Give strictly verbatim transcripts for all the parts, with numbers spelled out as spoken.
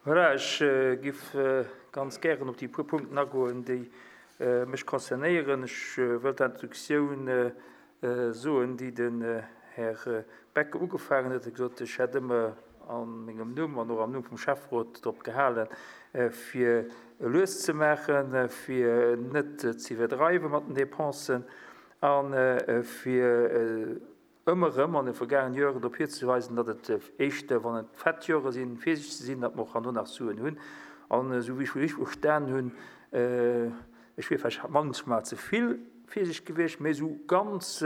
Voilà, ech giff ganz gären op déi puer Punkten agoen, déi mech concernéieren. Ech wëll d'Introduktioun soen, déi den Här Becker ugefaangen huet. E huet gesot, ech hätt ëmmer a mengem Numm an och am Numm vum Schäfferot drop gehalen, fir lues ze maachen, fir net ze iwwerdreiwe mat den Dépensen a fir ëmmer erëm an de vergaangenen Joren drop hizeweisen, datt et éischter, wann et fett Jore sinn, virsiichteg ze sinn, datt mer och herno nach Suen hunn. An esou wéi ech richteg verstan hunn, ech wier vläicht manchmal ze vill virsiichteg gewiescht, mä esou ganz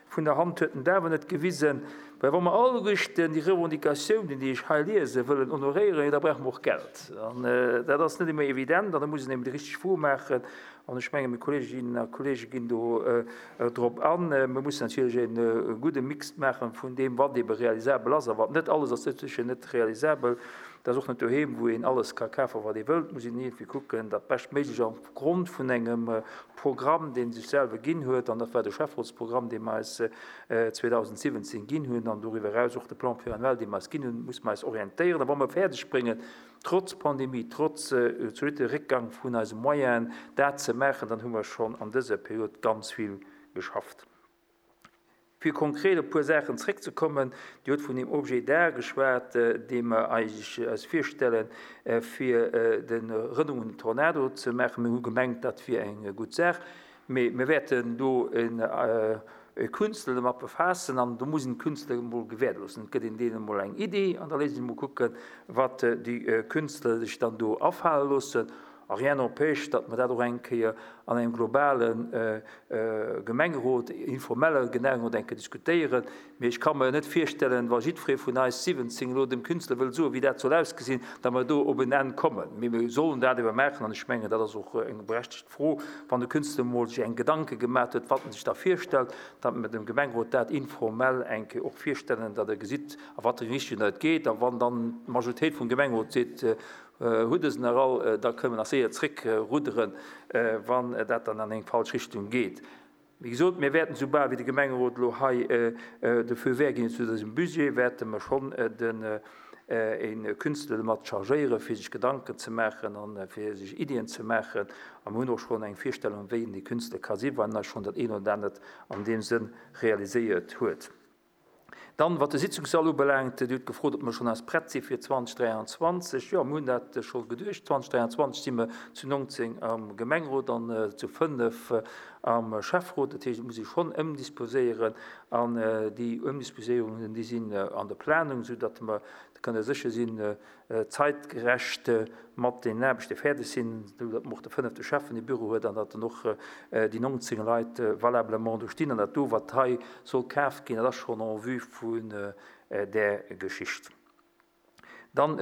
vun der Hand huet en et awer net gewisen, well wa mer alleguerten déi Revendicatiounen, déi ech hei liesen, wëllen honoréieren, jo da brauche mer och Geld. An dat ass net ëmmer evident an da muss een eben déi richteg Fro maachen. An ech mengen, meng Kolleeginnen a Kolleege ginn do drop an. Mir mussen natierlech e gudde Mix maache vun deem, wat ebe realisabel ass a wat net. Alles ass sécher net realisabel. Dat ass och net doheem, wou een alles ka kafen, wat ee wëllt. Et muss een iergendwéi kucken, dat Beschtméiglecht opgrond vun engem Programm, dee sech selwer ginn huet, an dat war de Schäfferotsprogramm, dee mer eis zweedausendsiwwenzéng ginn hunn, an doriwwer eraus och de Plan pluriannuel, dee mer eis ginn hunn, musse mer eis orientéieren. A wa mer fäerdegbréngen, trotz Pandemie, trotz zolitte Réckgang vun eise Moyenen, dat ze maachen, dann hu mer schonn an dëser Period ganz vill geschafft. Fir konkret op e puer Saachen zréckzekommen, Dir hutt vun deem Objet d'art geschwat, dee mer eigentlech eis virstellen, fir de Rënnung un den Tornado ze maachen. Mir hu gemengt, dat wier eng gutt Saach, mee mir wäerten do e Künstler domat befaassen an do muss een d'Künstler emol gewäerte loossen. Et gëtt een deenen emol eng Iddi an da léisst een emol kucken, wat déi Künstler sech dann do afale loossen. A rien n'empêche, datt mer dat och eng Kéier an engem globale Gemengerot, informelle Gemengerot eng Kéier diskutéieren. Mee ech ka mer net virstellen, wa jiddweree vun eis siwwenzéng elo dem Künstler wëll soen, wéi dat soll ausgesinn, datt mer do op en Enn kommen. Mee mir sollen dat ewer maachen an ech mengen, dat ass och eng berechtegt Fro, wann de Künstler emol sech eng Gedanke gemaat huet, wat en sech da virstellt, datt mer dem Gemengerot dat informell eng Kéier och virstellen, datt e gesitt, a wat fir eng Richtung dat geet. A wann dann d'Majoritéit vum Gemengerot seet, Hutt e se nach all, da kënne mer nach séier zréckrudderen, wann dat dann an eng falsch Richtung geet. Wéi gesot, mir wäerten, soubal wéi de Gemengerot elo hei de Feu vert ginn huet zu dësem Budget, wäerte mer schonn den e Künstler domat chargéieren, fir sech Gedanken ze maachen a fir sech Iddien ze maachen. A mir hunn och schonn eng Virstellung, wéi en dee Künstler ka sinn, well en eis schonn dat eent oder anert an deem Sënn realiséiert huet. Dann, wat de Sitzungssall ubelaangt, Dir hutt gefrot, ob mer schonn eis prett si fir zweedausend dräianzwanzeg. Jo, mir hunn dat scho geduecht. zweedausend dräianzwanzeg si mer zu nongzéng am Gemengerot an zu fënnef am Schäfferot. Dat heescht, et muss ee schonn ëmdisposéieren. An déi Ëmdisposéierungen, déi sinn an der Planung, soudatt mer, da kënnt Der sécher sinn, zeitgerecht mat den Aarbechte fäerdeg sinn, esou datt mer och de fënnefte Schäffen e Büro huet an datt dann och déi nongzéng Leit valablement do stinn. An dat do, wat hei soll kaf ginn, dat ass schonn en vue vun där Geschicht. Dann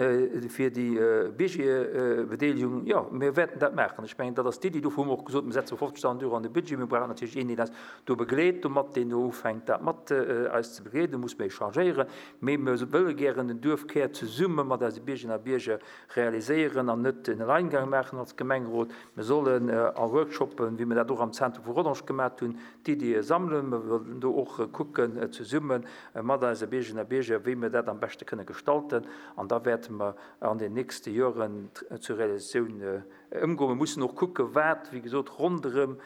fir déi Biergerbedeelegung, jo, mir wäerten dat maachen. Ech mengen, dat ass d'Iddi. Dofir hu mer och gesot, mir setze fofzegdausend Euro an de Budget. Mir brauchen natierlech een, deen eis do begleet domat, deen do ufänkt, dat mat eis ze begleeden. Do musse mer échangéieren. Mee mir wëlle gären den Duerfkär zesumme mat eise Biergerinnen a Bierger realiséieren an net en Alleingang maachen als Gemengerot. Mir sollen a Workshoppen, wéi mir dat och am Zentrum vu Rodange gemat hunn, d'Iddie sammelen. Mir wëllen do och kucken zesumme mat eise Biergerinnen a Bierger, wéi mir dat am beschte kënne gestalten. An da wäerte mer an den nächste Joren zur Realisatioun ëmgoen. Mir mussen och kucken, wat, wéi gesot, ronderëm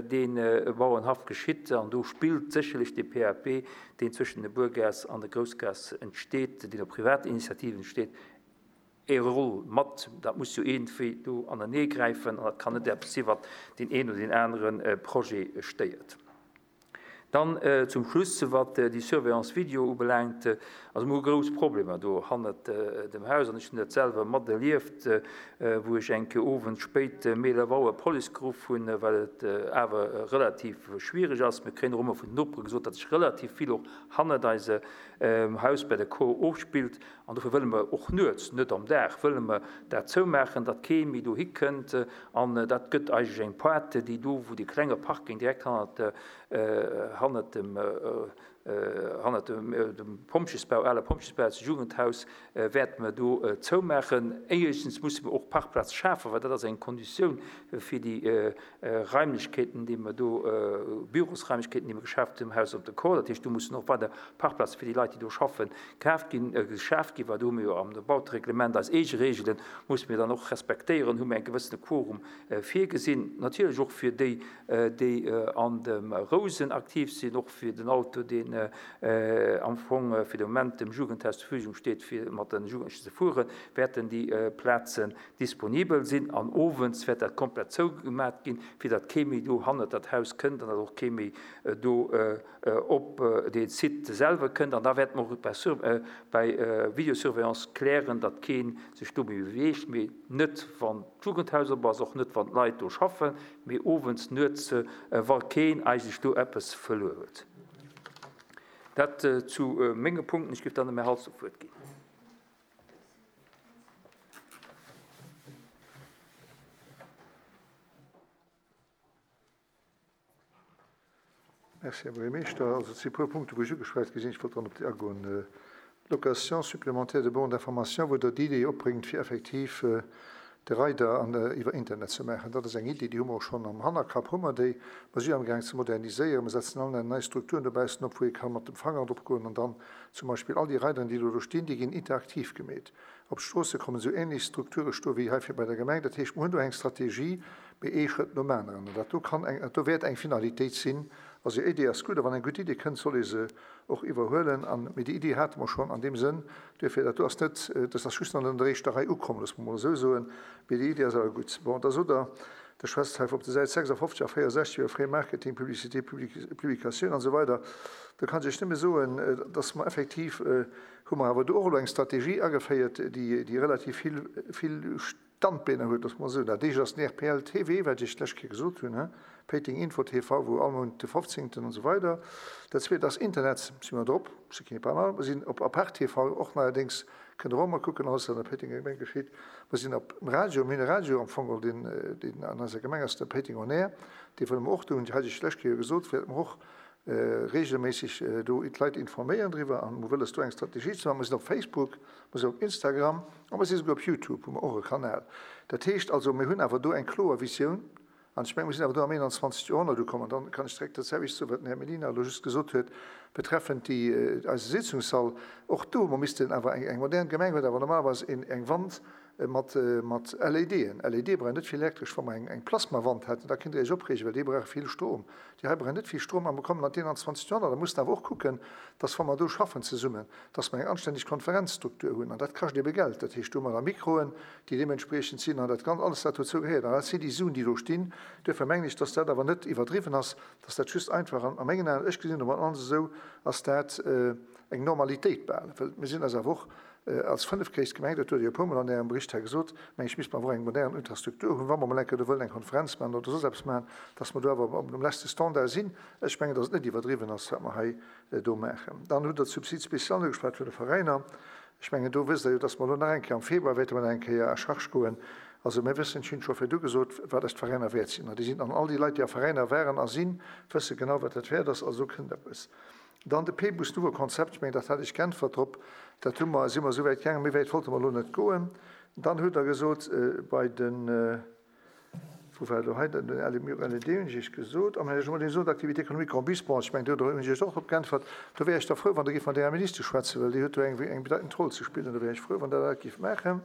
dee Bauernhaff geschitt. An do spillt sécherlech dee P A P, deen zwëschen der Buergaass an der Groussgaass entsteet, deen op Privatinitiativen entsteet, e Roll mat. Dat muss jo iergendwéi do aneneegräifen an dat kann net eppes sinn, wat deen een oder deen anere Projet stéiert. Dann zum Schluss, wat déi Surveillance vidéo ubelaangt, also mir hu grouss Problemer do hannert dem Haus an ech hunn dat selwer materlieft, wou ech eng Kéier owends spéit méi eelef Auer d'Police geruff hunn, well et awer relativ schwierig ass. Mir kréien och ëmmer vun den Nopere gesot, datt sech relativ vill och hannert eise Haus bei der Cour ofspillt. An dofir wëlle mer och nuets, net am Dag, wëlle mer dat zoumaachen, datt kee méi dohi kënnt. An dat gëtt eigentlech eng Pointe, déi do, wou dee klenge Parking direkt hannert, hannert dem hannert dem, dem Pompjesbau, ale Pompjesbau, das Jugendhaus, wäerte mer do zoumaachen. Éischtens musse mer och Parkplaz schafen, well dat ass eng Konditioun fir déi Raimlechkeeten, déi mer do, Bürosraimlechkeeten, déi mer geschaaft hunn am Haus op de Kor. Dat heescht, do mussen och weider Parkplaze fir déi Leit, déi do schaffen, kaaft ginn, geschaaft ginn, well do hu mer jo am Bautereglement eis eege Reegelen, musse mir dann och respektéieren, hu mer eng gewëssene Quorum virgesinn. Natierlech och fir déi, déi an dem Rousen aktiv sinn, och fir den Auto, deen am Fong fir de Moment dem Jugendhaus zur Verfügung steet, fir mat den Jugendlichen ze fueren, wäerten déi Plazen disponibel sinn. An owends wäert dat komplett zougemat ginn, fir datt kee méi do hannert dat Haus kënnt an datt och kee méi do op dee Site selwer kënnt. An da wäerte mer och bei, bei Videosurveillance klären, datt keen sech do méi beweegt, mee net wann d'Jugendhaus op ass, och net wann d'Leit do schaffen, mee owends, nuets, wa keen eigentlech do eppes verluer huet. Dat zu menge Punkten. Ech géif dann dem Här Halsdorf d'Wuert ginn. Merci, Här Buergermeeschter. Also, et si puer Punkte, wou ech ugeschwat gi sinn. Ech wollt dann op déi agoen. Location supplémentaire de bornes d'information, wou Der d'Idee opbréngt, fir effektiv de Rider an, iwwer Internet ze maachen. Dat ass eng Idee, déi hu mer och schonn am Hannerkapp, hu mer déi. Mer si amgaang ze moderniséieren. Mer setzen all nei Strukturen dobaussen op, wou ee ka mat dem Fanger drop goen an dann zum Beispill all déi Rideren, déi elo do stinn, déi ginn interaktiv gemeet. Op d'Stroosse kommen esou ähnlech Strukture stoe wéi hei fir bei der Gemeng. Dat heescht, mer hunn do eng Strategie, mee ee Schrëtt nom aneren. An dat do kann eng, dat do wäert eng Finalitéit sinn. Also Idee ass gutt, a wann eng gutt Idee kënnt, soll ee se och iwwerhuelen. An, mee déi Idee hate mer schonn an deem Sënn. Duerfir, dat do ass net, dat ass just an der éischter Rei ukomm, loosse mer mol esou soen. Mee déi Idee ass awer gutt. Bon, da sot Der, der schwätzt hei op der Säit sechsundfünfzig a vierundsechzig iwwer Frais Marketing, Publicité, Publikatioun an esou weider. Do kann ech nëmme soen, dass mer effektiv, hu mer awer do och elo eng Strategie ageféiert, déi, déi relativ vill, vill Standbeiner huet, dass mer soen. Dat éischt ass den R P L T V, wat ech d'lescht Kéier gesot hunn, he? Péiteng Info T V, wou all Mount de fofzéngten an esou weider. Dat zweet ass Internet, si mer drop, ce qui n'est pas mal. Mer sinn op Apart T V och neierdéngs, kënnt der och mol kucken, alles wat an der Péitenger Gemeng geschitt. Mer sinn op dem Radio, mir hunn e Radio am Fong, deen, deen an eiser Gemeng ass, der Péiteng On Air, dee wëlle mer och do hunn, hat ech d'lescht Kéier gesot, wäerte mer och regelméisseg do d'Leit informéieren driwwer an mer wëlles do eng Strategie ze maachen. Mer sinn op Facebook, mer sinn op Instagram a mer sinn souguer op YouTube, hu mer och e Kanal. Dat heescht also, mir hunn awer do eng kloer Visioun an ech menge, mir sinn awer do am einundzwanzigsten Joerhonnert ukomm. An dann kann ech direkt dat selwecht soen, wat den Här Mellina elo just gesot huet, betreffend déi eise Sitzungssall. Och do, mer missten awer eng, eng modern Gemeng huet awer normalerweis een, eng Wand mat, mat L E D'en. L E D brauchen net vill elektresch. Wa mer eng, eng Plasmawand hätten, da kënnt Dir Iech opreegen, well déi brauche vill Strom. Déi hei brauchen net vill Strom, a mer kommen an d'einundzwanzigste Joerhonnert. Da mussen awer och kucken, dass wa mer do schaffen zesummen, dass mer eng anständig Konferenzstruktur hunn. An dat kascht ebe Geld. Dat heescht, do hu mer da Mikroen, déi deementsprechend sinn, an dat ganz alles, wat dozou gehéiert. An dat sinn déi Suen, déi do stinn. Duerfir mengen ech, dass dat awer net iwwerdriwwen ass, dass dat just einfach an, a mengen Aen, ech gesinn dat alles esou, ass dat eng Normalitéit bal. Well mir sinn eis awer och als fënnefgréisst Gemeng, dat huet jo e puer Mol an Ärem Bericht hei gesot, meng ech, misst mer awer eng modern Infrastruktur hunn, wa mer mol eng Kéier do wëllen eng Konferenz maachen oder soss eppes maachen, dass mer do awer op dem letzte Standard sinn. Ech mengen, dass et net iwwerdriwwen ass, wat mer hei do maachen. Dann hutt Der d'Subside spécial ugeschwat vun de Veräiner. Ech mengen, do wësst Der jo, dass mer elo nach eng Kéier am Februar wäerte mer nach eng Kéier à charge goen. Also mir wëssen, ech hunn scho virdu gesot, wat eis d'Veräiner wäert sinn. An déi sinn an all déi Leit, déi a Veräiner waren a sinn, wësse genau, wat dat wäert ass. Also kënnt eppes. Dann de P-Bus Nouveau Konzept, ich meine, dat hat ich geäntwert drop, dat hu mer, si mer so wäit gaangen, méi wäit wollte mer elo net goen. Dann huet er gesot, äh, bei den, äh, wo war do hei, den L E D hunn ech gesot, am Här Jean-Marie gesot, Activité économique en bus, bon, ich meine, do hunn ech och drop geäntwert, do wär ech da frou, wann der géif mat der Minister schwätzen, well déi huet do eng, eng bedeitend Roll ze spillen, do wär ech frou, wann der dat géif maachen.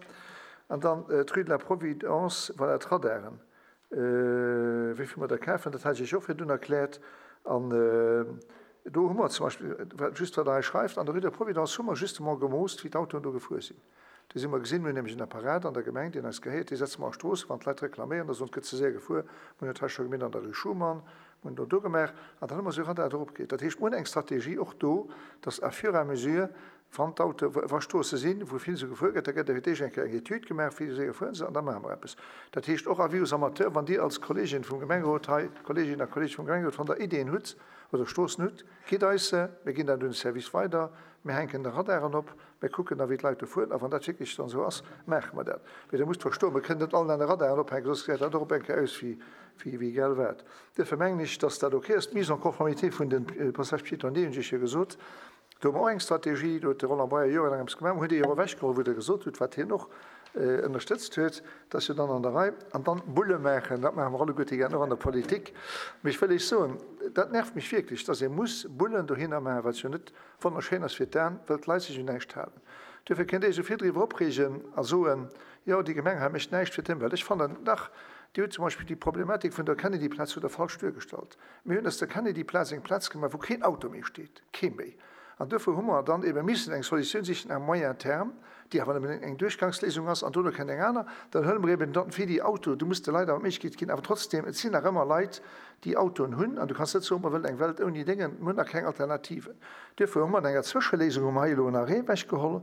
An dann, äh, d'Rue de la Providence, voilà, d'Radaren. Äh, wéi vill mer da kaufen, dat hat ech och virdrun erkläert. An, äh, do hu mer zum Beispill, wat, just wat der hei schreift, an der Rue de la Providence hu mer justement gemoost, wéi d'Autoen do gefuer sinn. Do si mer gesinn, mir hunn nämlech en Apparat an der Gemeng, deen eis gehéiert, dee setze mer a Stroosse, wann d'Leit reklaméieren, da sonst gëtt ze séier gefuer. Mir hunn dat hei scho gemeet an der Rue Schuman, mir hunn do do gemaach, an dann hu mer so Radar drop geet. Dat heescht, mir hunn eng Strategie och do, dass à fur et à mesure, wann d'Auto, wa Stroosse sinn, wou vill so gefuer gëtt, da gëtt fir d'éischt eng Kéier eng Etüd gemaach, wéi séier fueren se, an da maache mer eppes. Dat heescht och avis aux amateurs, wann Dir als Kollegin vum Gemengerot hei, Kolleginnen a Kollegen vum Gemengerot, wann der Ideen hutt oder Stroossen hutt, gitt eis se, mir ginn dat un den Service weider, mir hänken de Radaren op, Mir kucken da, wéi d'Leit do fueren, a wann dat wierklech dann esou ass, maache mer dat. Mee Der musst verstoen, mir kënnen net allen an de Radaren ophänken, soss gesäit dat och op eng Kéier aus wéi, wéi, wéi egal wat. Duerfir mengen ech, dass dat ok ass. D'Mise en conformité vun de Passages piétonniers, hunn ech Iech jo gesot, do hu mer och eng Strategie, do huet de Roland Breyer jorelaang eppes gemaach, mer hunn déi och ewechgeholl, wou Der gesot hutt, wat hien och ënnerstëtzt huet, dat ass jo dann an der Rei. An dann Bulle maachen, dat maache mer alleguerte gär, och an der Politik. Mee ech wëll Iech soen, dat nervt mech wierklech, dass ee muss Bullen dohinner maachen, wat jo net wonnerschéin ass fir d'Aen, wëll d'Leit sech un näischt halen. Duerfir kënnt Dir Iech esou vill driwwer opreegen a soen, jo, déi Gemeng hei mécht näischt fir d'Ëmwelt. Ech fannen, dach, Dir hutt zum Beispill déi Problematik vun der Kennedy-Plaz hutt Der falsch duergestallt. Mir hunn aus der Kennedy-Plaz eng Plaz gemaach, wou keen Auto méi steet, kee méi. An duerfir hu mer dann ebe missen eng Solutioun sichen à moyen terme, déi awer nëmmen eng Duerchgangsléisung ass, an dono kënnt eng aner. Dann huele mer eben dann fir déi Auto, du muss de Leit awer d'Méiglechkeet ginn, awer trotzdem, et sinn nach ëmmer Leit, déi Autoen hunn, an du kanns net soen, mer wëllen eng Welt ouni Déngen, mir hunn nach keng Alternativen. Duerfir hu mer an enger Zwëscheléisung hu mer hei elo en Arrêt ewechgeholl,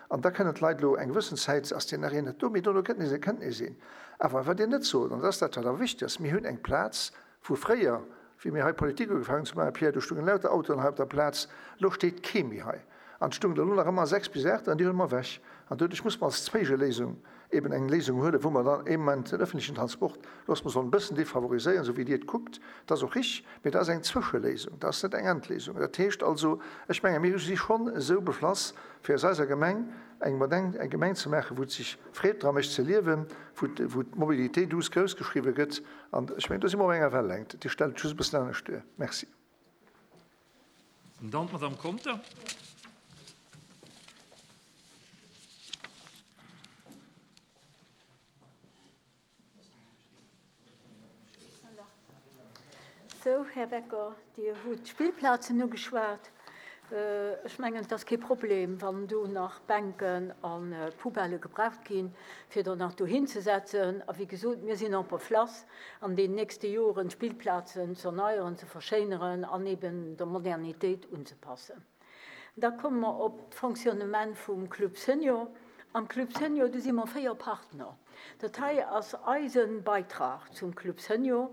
an da kënnen d'Leit elo eng gewëssen Zäit, ass deen Arrêt net do, mee dono kënnt nees, kënnt nees een. Awer wat Dir net sot, an dat ass dat, wat awer wichteg ass, mir hunn eng Plaz, wou fréier, wéi mir hei Politik ugefaangen ze maachen, Pierre, do stungen lauter Autoen hei op der Plaz, elo steet kee méi hei. An et stungen der elo nach ëmmer sechs bis aacht an déi huele mer ewech. An doduerch muss mer als Zwéischeléisung eben eng Léisung huelen, wou mer dann ee Moment den öffentlichen Transport, loosse mer sollen e bëssen defavoriséieren, esou wéi Dir et kuckt. Dat ass och richtig, mee dat ass eng Zwëscheléisung, dat ass net eng Endléisung. Dat heescht also, ech menge mir si schonn esou beflass, fir aus eiser Gemeng eng modern eng Gemeng ze maachen, wou et sech Freed dra mécht ze liewen, wou wou d'Mobilité douce grouss geschriwwe gëtt. An ech mengen, do si mer op enger Wellängt. Dir stellt et just e bëssen anescht duer. Merci. An dann d'Madame Conter. Sou, Här Becker, Dir hutt d'Spillplazen ugeschwat. Ech mengen, et ass kee Problem, wann do nach Bänken a Poubellë gebraucht ginn, fir der nach dohin ze setzen. A wéi gesot, mir sinn en place, an den nächste Joren d'Spillplazen ze erneieren, ze verschéineren an eben der Modernitéit unzepassen. Da komme mer op d'Fonctionnement vum Club Senior. Am Club Senior, do si mer véier Partner. Dat hei ass eise Beitrag zum Club Senior.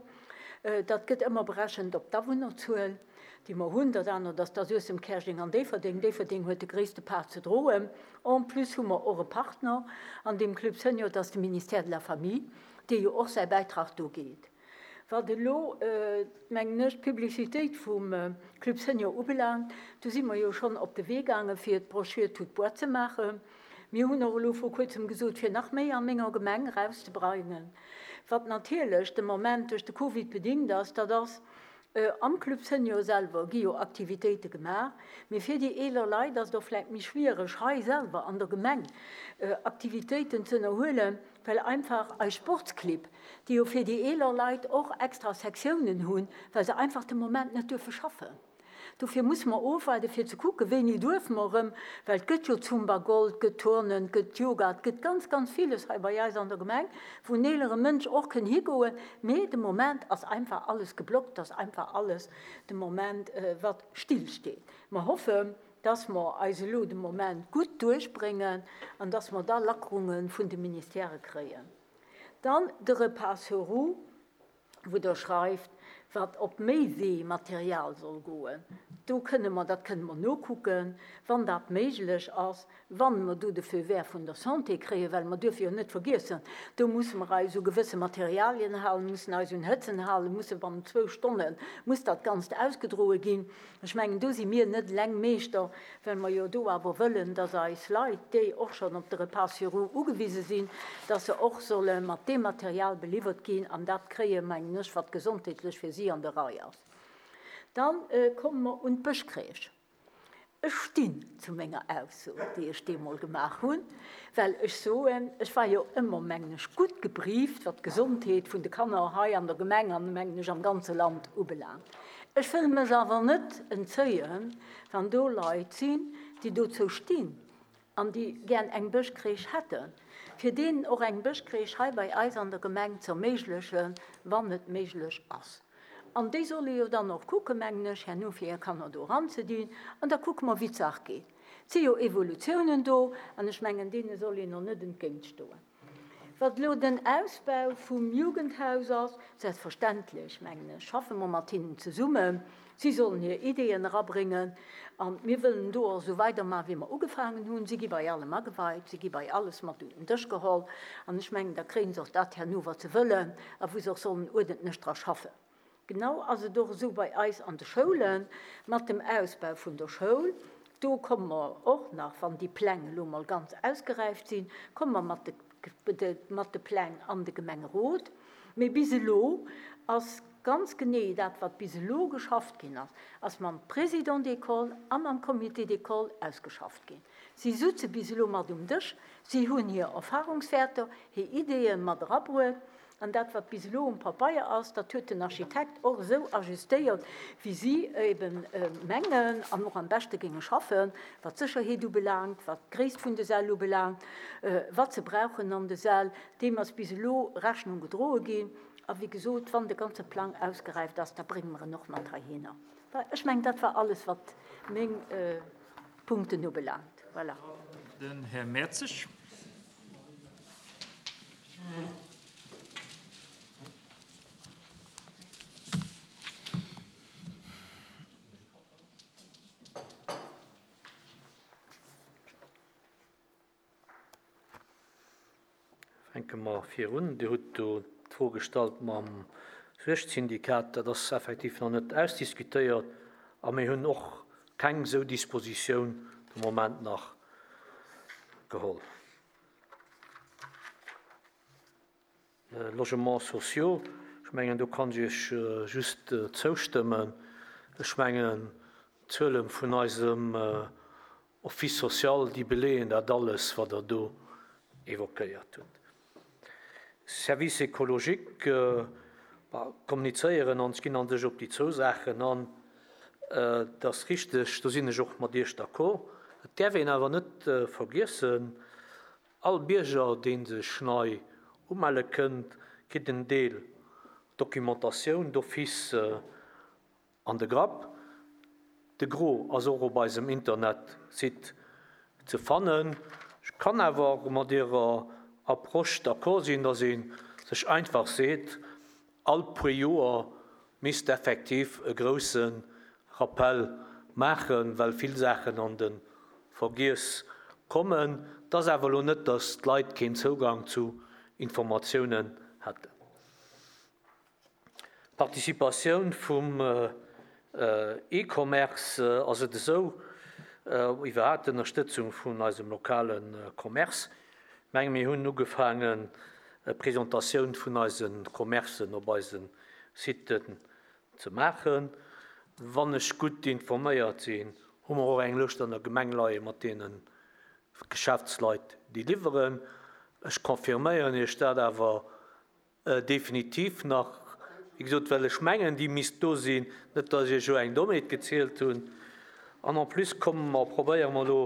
Dat gëtt ëmmer berechent op d'Awunnerzuel, déi mer hunn. Dat anert ass da Suessem, Käerjeng an Déifferdeng. Déifferdeng huet de gréisste Part ze droen. En plus hu mer och e Partner an deem Club Senior, dat ass de Ministère de la Famille, dee jo och säi Bäitrag do geet. Wat elo, mengen ech, d'Publicitéit vum Club Senior ubelaangt, do si mer jo schonn op de Wee gaangen, fir d'Brochure toute boîte ze maachen. Mir hunn och elo vru kuerzem gesot, fir nach méi a menger Gemeng erauszebreinen. Wat natierlech de Moment duerch de Covid bedingt ass, dat ass, am Club Senior selwer gi jo Aktivitéite gemaach, mee fir déi eeler Leit ass et och vläicht méi schwiereg, hei selwer an der Gemeng Aktivitéiten ze ënnerhuelen, well einfach eis Sportsclibb, déi jo fir déi eeler Leit och extra Sektiounen hunn, well se einfach de Moment net duerfe schaffen. Dofir musse mer ofwaarden, fir ze kucken, wéini duerfe mer erëm, well et gëtt jo Zumba Gold, et gëtt Turnen, et gëtt Yoga, et gëtt ganz, ganz villes hei bei eis an der Gemeng, wou en eelere Mënsch och kënn higoen. Mee de Moment ass einfach alles geblockt, ass einfach alles de Moment, wat stillsteet. Mer hoffen, dass mer eis elo de Moment gutt duerchbréngen an dass mer da Lackerunge vun de Ministèrë kréien. Dann de Repas sur roues, wou Der schreift, wat op Méiwee-Material soll goen, do kënne mer, dat kënne mer nokucken, wann dat méiglech ass, wa mer do de Feu vert vun der Santé kréien, well mer duerfe jo net vergiessen, do musse mer eis u gewësse Materialien halen, mussen eis un Hëtzen halen, musse bannent zwou Stonne muss dat Ganzt ausgedroe ginn. Ech mengen, do si mir net eleng Meeschter, well mer jo do awer wëllen, dass eis Leit, déi och schonn op de Repas sur roues ugewise sinn, dass se och solle mat deem Material beliwwert ginn an dat kréien, mengen ech, wat gesondheetlech fir si an der Rei ass. Dann komme mer un d'Bëschcrèche. Ech stinn zu menger Ausso, déi ech deemol gemaach hunn, well ech soen, ech war jo ëmmer, mengen ech, gutt gebrieft, wat d'Gesondheet vun de Kanner hei an der Gemeng an, mengen ech, am ganze Land ubelaangt. Ech wëll mech awer net entzéien, wann do Leit sinn, déi dozou stinn an déi gär eng Bëschcrèche hätten, fir deenen och eng Bëschcrèche hei bei eis an der Gemeng z'erméiglechen, wann et méiglech ass. An déi solle jo dann och kucken, mengen ech, herno fir hir Kanner do eranzedinn. An da kucke mer, wéi d'Saach geet. Et si jo Evolutiounen do, an ech mengen, deene soll een och net entgéintstoen. Wat elo den Ausbau vum Jugendhaus ass, selbstverständlech, mengen ech, schaffe mer mat hinnen zesummen. Si sollen hir Ideeën erabréngen a mir wëllen do och esou weidermachen, wéi mer ugefaangen hunn. Si gi bei allem ageweit, si gi bei alles mat un den Dësch geholl an ech mengen, da kréie se och dat herno, wat se wëllen a wou se och sollen uerdentlech dra schaffen. Genau ass et och esou bei eis an de Schoulen mat dem Ausbau vun der Schoul. Do komme mer och nach, wann déi Pläng elo mol ganz ausgeräift sinn, komme mer mat de, mat de Pläng an de Gemengerot. Mee bis elo ass ganz genee dat, wat bis elo geschafft ginn ass, ass mam Président d'école a mam Comité d'école ausgeschafft ginn. Si sutze bis elo mat um Dësch, si hunn hir Erfahrungswäerter, hir Ideeë mat erabruet. An dat, wat bis elo um Pabeier ass, dat huet den Architekt och esou ajustéiert, wéi si eben mengen an och am beschte géinge schaffen, wat d'Sécherheet ubelaangt, wat d'Gréisst vun de Säll ubelaangt, wat se brauchen an de Säll. Deem ass bis elo Rechnung gedroe ginn. A wéi gesot, wann de ganze Plang ausgeräift ass, da brénge mer en och mat heihinner. Ech mengen, dat war alles, wat meng Punkten ubelaangt. Voilà. Den Här Mertzig. Fänke mer virun. Dir hutt do d'Fro gestallt mam Suergsyndikat. Dat ass effektiv nach net ausdiskutéiert a mir hunn och keng esou Dispositioun de Moment nach geholl. Logements sociaux, ech mengen, do kann ech Iech just zoustëmmen. Ech mengen, d'Zuele vun eisem Office social, déi beleeën dat alles, wat Der do évoquéiert hutt. Service écologique, kommunizéieren an ginn an sech op déi zwou Saachen an. Dat ass richteg, do sinn ech och mat Iech d'accord. Et däerf een awer net vergiessen, all Bierger, dee sech nei umelle kënnt, kritt en Deel Documentatioun d'office an de Grapp. De Gros ass och op eisem Internetsite ze fannen. Ech kann awer mat Irer Approche d'accord sinn, datt ee sech einfach seet, all puer Joer misst effektiv e grousse Rappell maachen, well vill Saachen an de Vergiess kommen. Et ass awer elo net, datt d'Leit keen Zougang zu Informatiounen hätten. D'Participatioun vum E-Commerce ass et esou, iwwerhaapt d'Ënnerstëtzung vun eisem lokale Commerce. Ech menge mir hunn ugefaangen, Presentatioun vun eise Commercen op eise Siten ze maachen. Wann ech gutt informéiert sinn, hu mer och eng Lëscht an der Gemeng leie mat deene Geschäftsleit, déi liwweren. Ech confirméieren Iech dat awer definitiv nach, wéi gesot, well ech mengen, déi misst do sinn, net datt ech Iech elo eng Dommheet gezielt hunn. An en plus komme mer, probéiere mer elo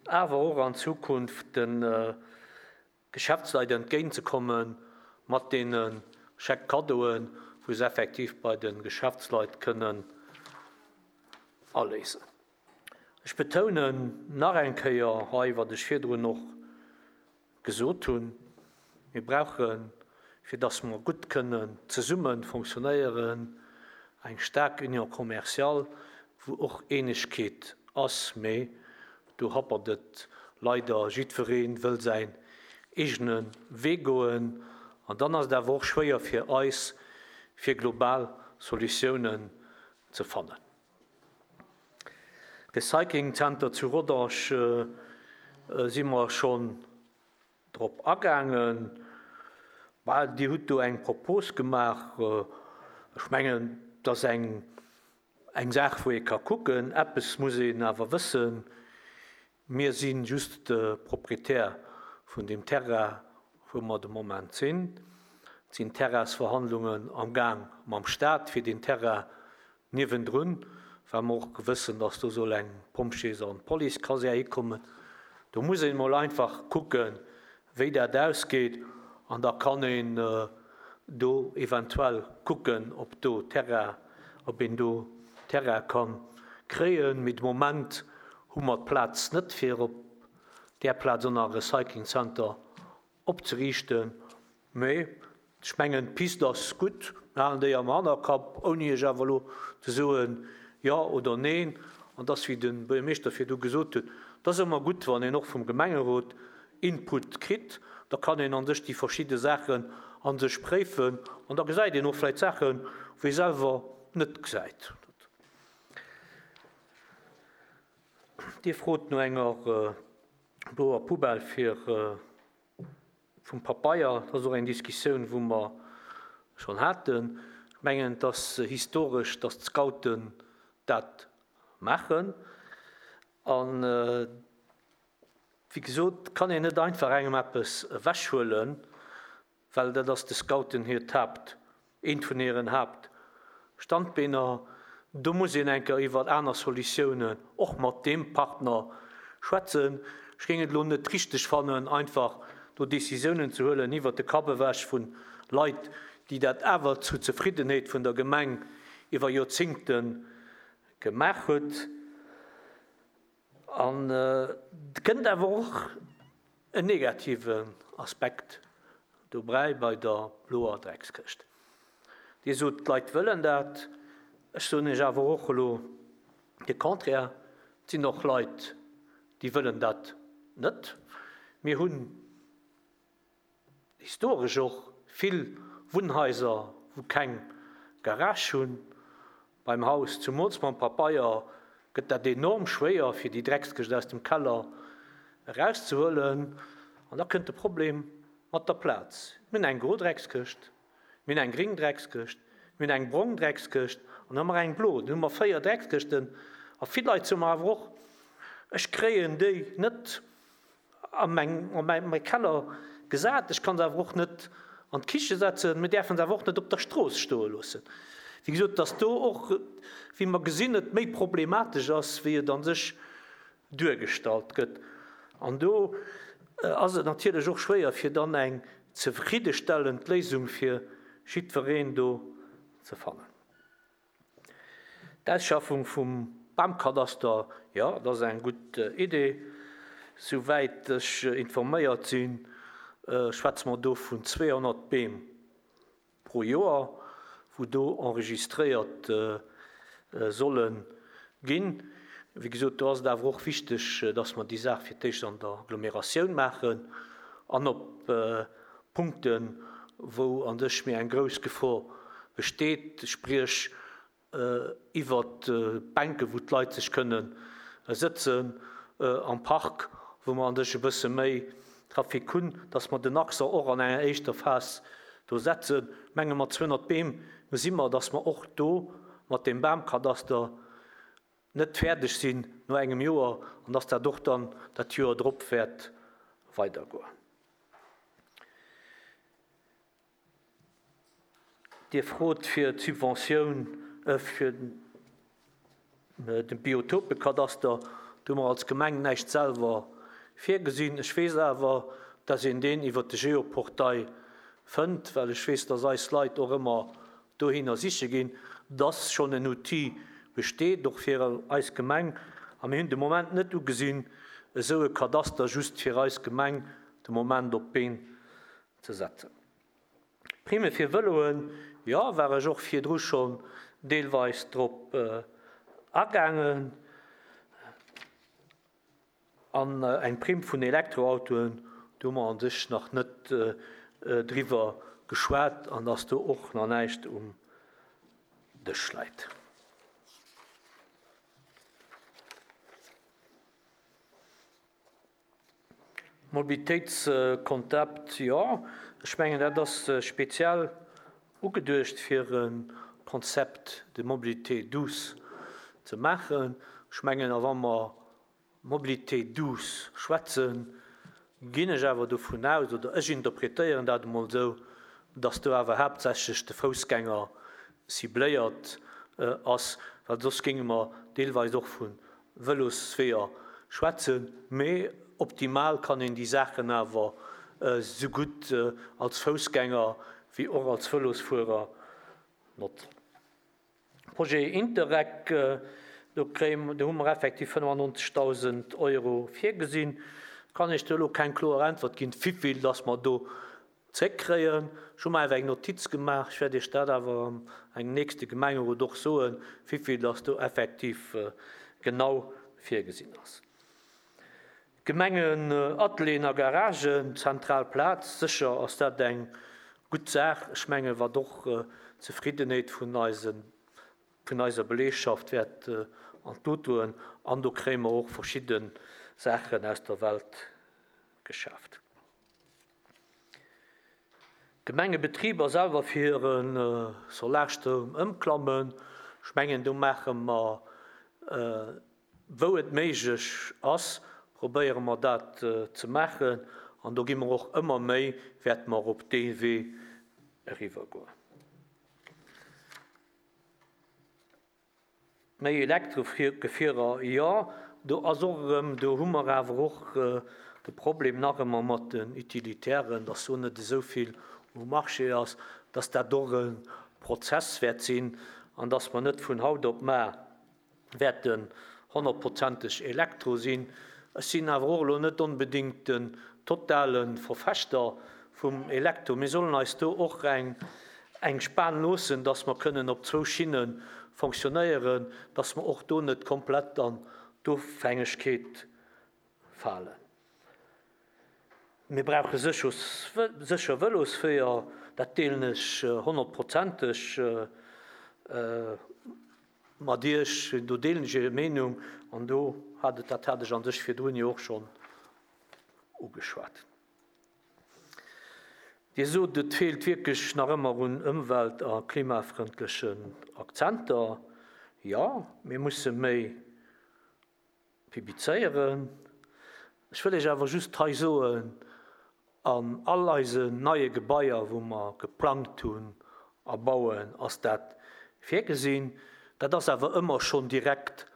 awer och an Zukunft de Geschäftsleit entgéintzekomme mat deene Chèque-cadeauen, wou se effektiv bei de Geschäftsleit kënnen aléisen. Ech betounen nach eng Kéier hei, wat ech virdrun och gesot hunn, Mir brauchen, fir datt mer gutt kënnen zesumme fonctionnéieren, eng staark Union commerciale, wou och Eenegkeet ass, mee do happert et leider, jiddweree wëll säin eegene Wee goen an dann ass et awer och schwéier fir eis, fir global Solutiounen ze fannen. Recycling Center zu Rodange si mer schonn drop agaangen. Bah, Dir hutt do eng Propos gemaach. Ech mengen, dat ass eng, eng Saach, wou ee ka kucken. Eppes muss een awer wëssen, Mir si just de Proprietär vun deem Terrain, wou mer de Moment sinn. Et sinn Terrainsverhandlungen am Gaang mam Staat fir deen Terrain niewendrun, well mer och wëssen, datt do soll eng Pompjees an Policekasär hikommen. Do muss een emol einfach kucken, wéi dat ausgeet, an da kann een do eventuell kucken, ob do Terrain, ob een do Terrain ka kréien. Mee de Moment hu mer d'Plaz net, fir op där Plaz och nach e Recycling Center opzeriichten. Mee ech mengen, d'Pist ass gutt, mir halen déi am Hannerkapp, ouni Iech awer elo ze soen, jo oder neen. An dass, wéi de Buergermeeschter virdu gesot huet, et ass ëmmer gutt, wann een och vum Gemengerot Input kritt, da kann een a sech déi verschidde Saachen a sech préifen an da gesäit een och vläicht Saachen, wou ee selwer net gesäit. Dir frot no enger bloer Poubelle fir vum Papeier. Dat ass och eng Diskussioun, wou mer schonn haten. Ech mengen, et ass historesch, dass d'Scouten dat maachen. An wéi gesot, kann een net einfach engem eppes ewechhuelen, well dat ass de Scouten hiert Haapt, eent vun hiren Haaptstandbeener. Do muss een eng Kéier iwwer aner Solutiounen och mat deem Partner schwätzen. Ech géing et elo net richteg fannen, einfach do Décisiounen ze huelen iwwert de Kapp ewech vu Leit, déi dat awer zu Zefriddenheet vun der Gemeng iwwer Joerzingte gemaach huet. An et kënnt awer och en negativen Aspekt dobräi bei der bloer Dreckskëscht. Dir sot, d'Leit wëllen dat. Ech soen Iech awer och elo de Contraire, et sinn och Leit, déi wëllen dat net. Mir hunn historesch och vill Wunnhaiser, wou keng Garage hunn. Beim Haus zu Mols mam Papeier gëtt dat enorm schwéier, fir déi Dreckskëscht aus dem Keller erauszehuelen. An da kënnt de Problem mat der Plaz. Mir hunn eng gro Dreckskëscht, mir hunn eng gring Dreckskëscht, mir hunn eng brong Dreckskëscht an da hu mer eng blo. Dann hu mer véier Dreckskëschten. A vill Leit soe mer awer och, Ech kréien déi net a meng, a mäi Keller gesat, ech kann se awer och net an d'Kiche setzen, mir däerfen se awer och net op der Strooss stoe loossen. Wéi gesot, dass do och, wéi mer gesinn, et méi problematesch ass, wéi et a sech duergestallt gëtt. An do ass et natierlech och schwéier, fir dann eng zefriddestellend Léisung fir jiddwereen do ze fannen. D'Ausschaffung vum Bamkadaster, jo, dat ass eng gutt Idee. Souwäit ech informéiert sinn, schwätze mer do vun zweehonnert Beem pro Joer, wou do enregistréiert solle ginn. Wéi gesot, do ass et awer och wichteg, dass mer déi Saach fir d'éischt an der Agglomeratioun maachen an op Punkten, wou an sech méi eng grouss Gefor besteet, spriech iwwert Bänke wou d'Leit sech kënne sëtzen am Park, wou mer an sech e bësse méi Trafic hunn, dass mer den Accent och an enger éischter Phas do setzen. Menge mat zweehonnert Beem gesi mer, dass mer och do mat deem Bamkadaster net fäerdeg sinn no engem Joer an dass dat och dann dat Joer drop wäert weidergoen. Dir frot fir d'Subventioun fir de Biotopekadaster. Do hu mer als Gemeng näischt selwer virgesinn. Ech weess awer, dass een deen iwwert de Geoportail fënnt, well ech weess, dass eis Leit och ëmmer dohinner siche ginn, dass schonn en Outil besteet, och fir eis Gemeng. A mir hunn de Moment net ugesinn, esou e Kadaster just fir eis Gemeng de Moment op d'Been ze setzen. Prime fir Vëloen, jo, war ech och virdru schonn deelweis drop agaangen. An eng Primm vun Elektroautoen, do hu mer a sech nach net driwwer geschwat an dass do och nach näischt um Dësch läit. Mobilitéitskonzept, jo, ech mengen, dat ass speziell ugeduecht, fir e Concept de mobilité douce ze maachen. Ech mengen, a wa mer Mobilité douce schwätzen, ginn ech awer dovun aus, oder ech interpretéieren dat emol esou, dass do awer haaptsächlech de Foussgänger cibléiert ass, well soss géinge mer deelweis och vu Vëlosweeër schwätzen. Mee optimal kann een déi Saachen awer esou gutt als Foussgänger wéi och als Vëlosfuerer notzen. Projet Interreg, do kréie, do hu mer effektiv fënnefannonzegdausend Euro virgesinn. Kann ech do elo keng kloer Äntwert ginn, wivill dass mer do zréckkréien. Ech hu mer awer eng Notiz gemaach, ech wäert Iech dat awer an engem nächste Gemengerot och soen, wéivill dass do effektiv genau virgesinn ass. Gemengenatelieren a Garagen, zentral Plaz, sécher ass dat eng gutt Saach. Ech mengen, wat och d'Zefriddenheet vun eisen, vun eiser Beleegschaft wäert an d'Lut doen. An do kréie mer och verschidde Saachen aus der Welt geschaaft. D'Gemengebetriber selwer fir hire Solarstroum ëmklammen, ech mengen, do maache mer, wou et méiglech ass, probéiere mer dat ze maachen. An do gi mer och ëmmer méi, wäerte mer op dee Wee eriwwergoen. Méi Elektrogefierer, jo, do ass och erëm, do hu mer awer och de Problem nach ëmmer mat den Utilitären, dass do net esou vill um Marché ass, dass dat och e Prozess wäert sinn an dass mer net vun haut op mar wäerten honnertprozenteg Elektro sinn. Ech sinn awer och elo net onbedéngt den totale Verfechter vum Elektro. Mir sollen eis do och eng, eng Span loossen, dass mer kënnen op zwou Schinne fonctionnéieren, dass mer och do net komplett an d'Ofhängegkeet falen. Mir brauche sécher Vëlosweeër, dat deelen ech honnertprozenteg mat Iech, do deelen ech Är Meenung an do hat et, dat hat ech an sech virdrun jo och schonn ugeschwat. Dir sot, et feelt wierklech nach ëmmer un ëmwelt- a klimafrëndlechen Akzenter. Jo, mir musse méi publizéieren. Ech wëll Iech awer just hei soen, an all eisen neie Gebaier, wou mer geplangt hunn a bauen, ass dat virgesinn. Dat ass awer ëmmer schonn direkt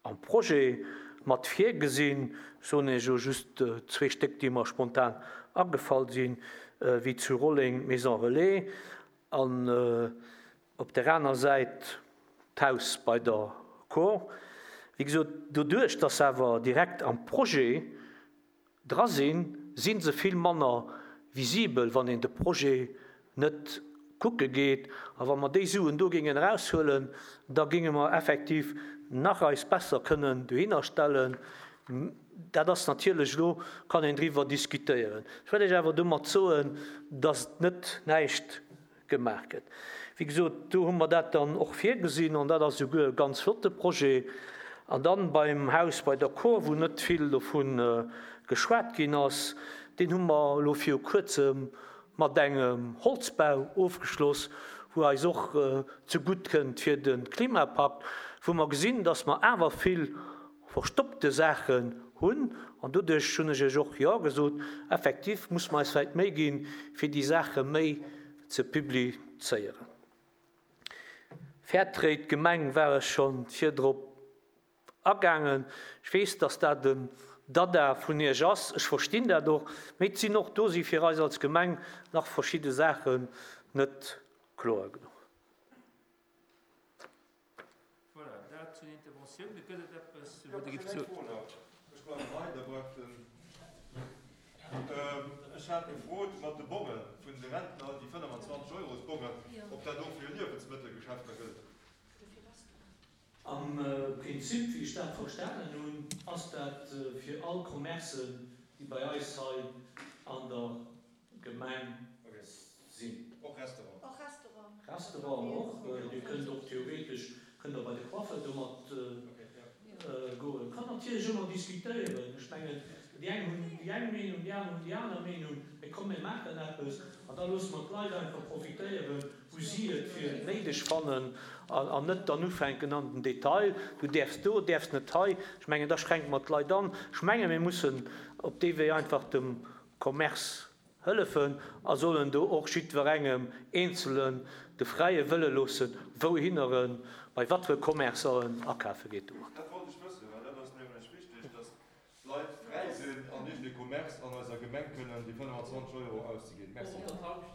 am Projet mat virgesinn. Ech soen Iech jo just zwee Stéck, déi mer spontan agefall sinn, wéi zu Rolleng d'Maison Relais an op der aner Säit d'Haus bei der Cour. Wéi gesot, doduerch, dass se awer direkt am Projet dra sinn, si se vill manner visibel, wann een de Projet net kucke geet. A wa mer déi Suen do géingen eraushuelen, da géinge mer effektiv nach eis besser kënnen dohinner stellen. Dat ass natierlech elo, kann een driwwer diskutéieren. Ech wëll Iech awer domat soen, dass net näischt gemaach gëtt. Wéi gesot, do hu mer dat dann och virgesinn an dat ass souguer e ganz flotte Projet. An dann beim Haus bei der Cour, wou net vill dovun geschwat ginn ass, deen hu mer elo viru Kuerzem mat engem Holzbau ofgeschloss, wou eis och zegutt kënnt fir de Klimapakt, wou mer gesinn, dass mer awer vill verstoppte Saachen hunn. An doduerch hunn ech Iech och jo gesot, effektiv muss mer eis vläicht Méi ginn, fir déi Saache méi ze publizéieren. Fairtrade Gemeng war ech schonn virdrop agaangen. Ech weess, dass dat en Dada vun Iech ass. Ech verstinn dat och. Mee et sinn och do si fir eis als Gemeng nach verschidde Saachen net kloer genuch. Voilà, dat zu den Interventiounen. Gëtt et eppes, Jo, wou Der ech gift hunn eng soen? Fro nach. Ech bleiwen hei, da bleift den. Ech hat gefrot mat de Bonge vun de Rentner, déi fënnefenzwanzeg Eurosbongen, ob dat och fir Liewensmëttelgeschäfter gëllt. Am Prinzip, wéi ech dat verstanen hunn, ass dat fir all Commercen, déi bei eis hei an der Gemeng sinn. Och Restaurant. Och Restaurant. Restaurant och. Dir kënnt och theoretesch, kënnt der bei de Coiffeur domat goen. Kann natierlech ëmmer diskutéieren. Ech mengen, déi eng hunn déi eng Meenung, déi aner hunn déi aner Meenung. Mee komm, mir maachen eppes an da loosse mer d'Leit einfach profitéieren, wou si et fir néideg fannen an net dann ufänken an den Detail, du däerfs do, däerfs net hei. Ech mengen, da schränke mer d'Leit an. Ech menge mir mussen op dee Wee einfach dem Commerce hëllefen a sollen do och jiddwerengem Eenzelen de fräie Wëlle loossen, wouhinner en, bei wat fir Commercen akafe geet domat. Dat wollt ech wëssen, well dat ass nämlech wichteg, dass d'Leit fräi sinn an nicht de Commerce an eiser Gemeng kënnen déi fënnefenzwanzeg Euro auszeginn. Merci.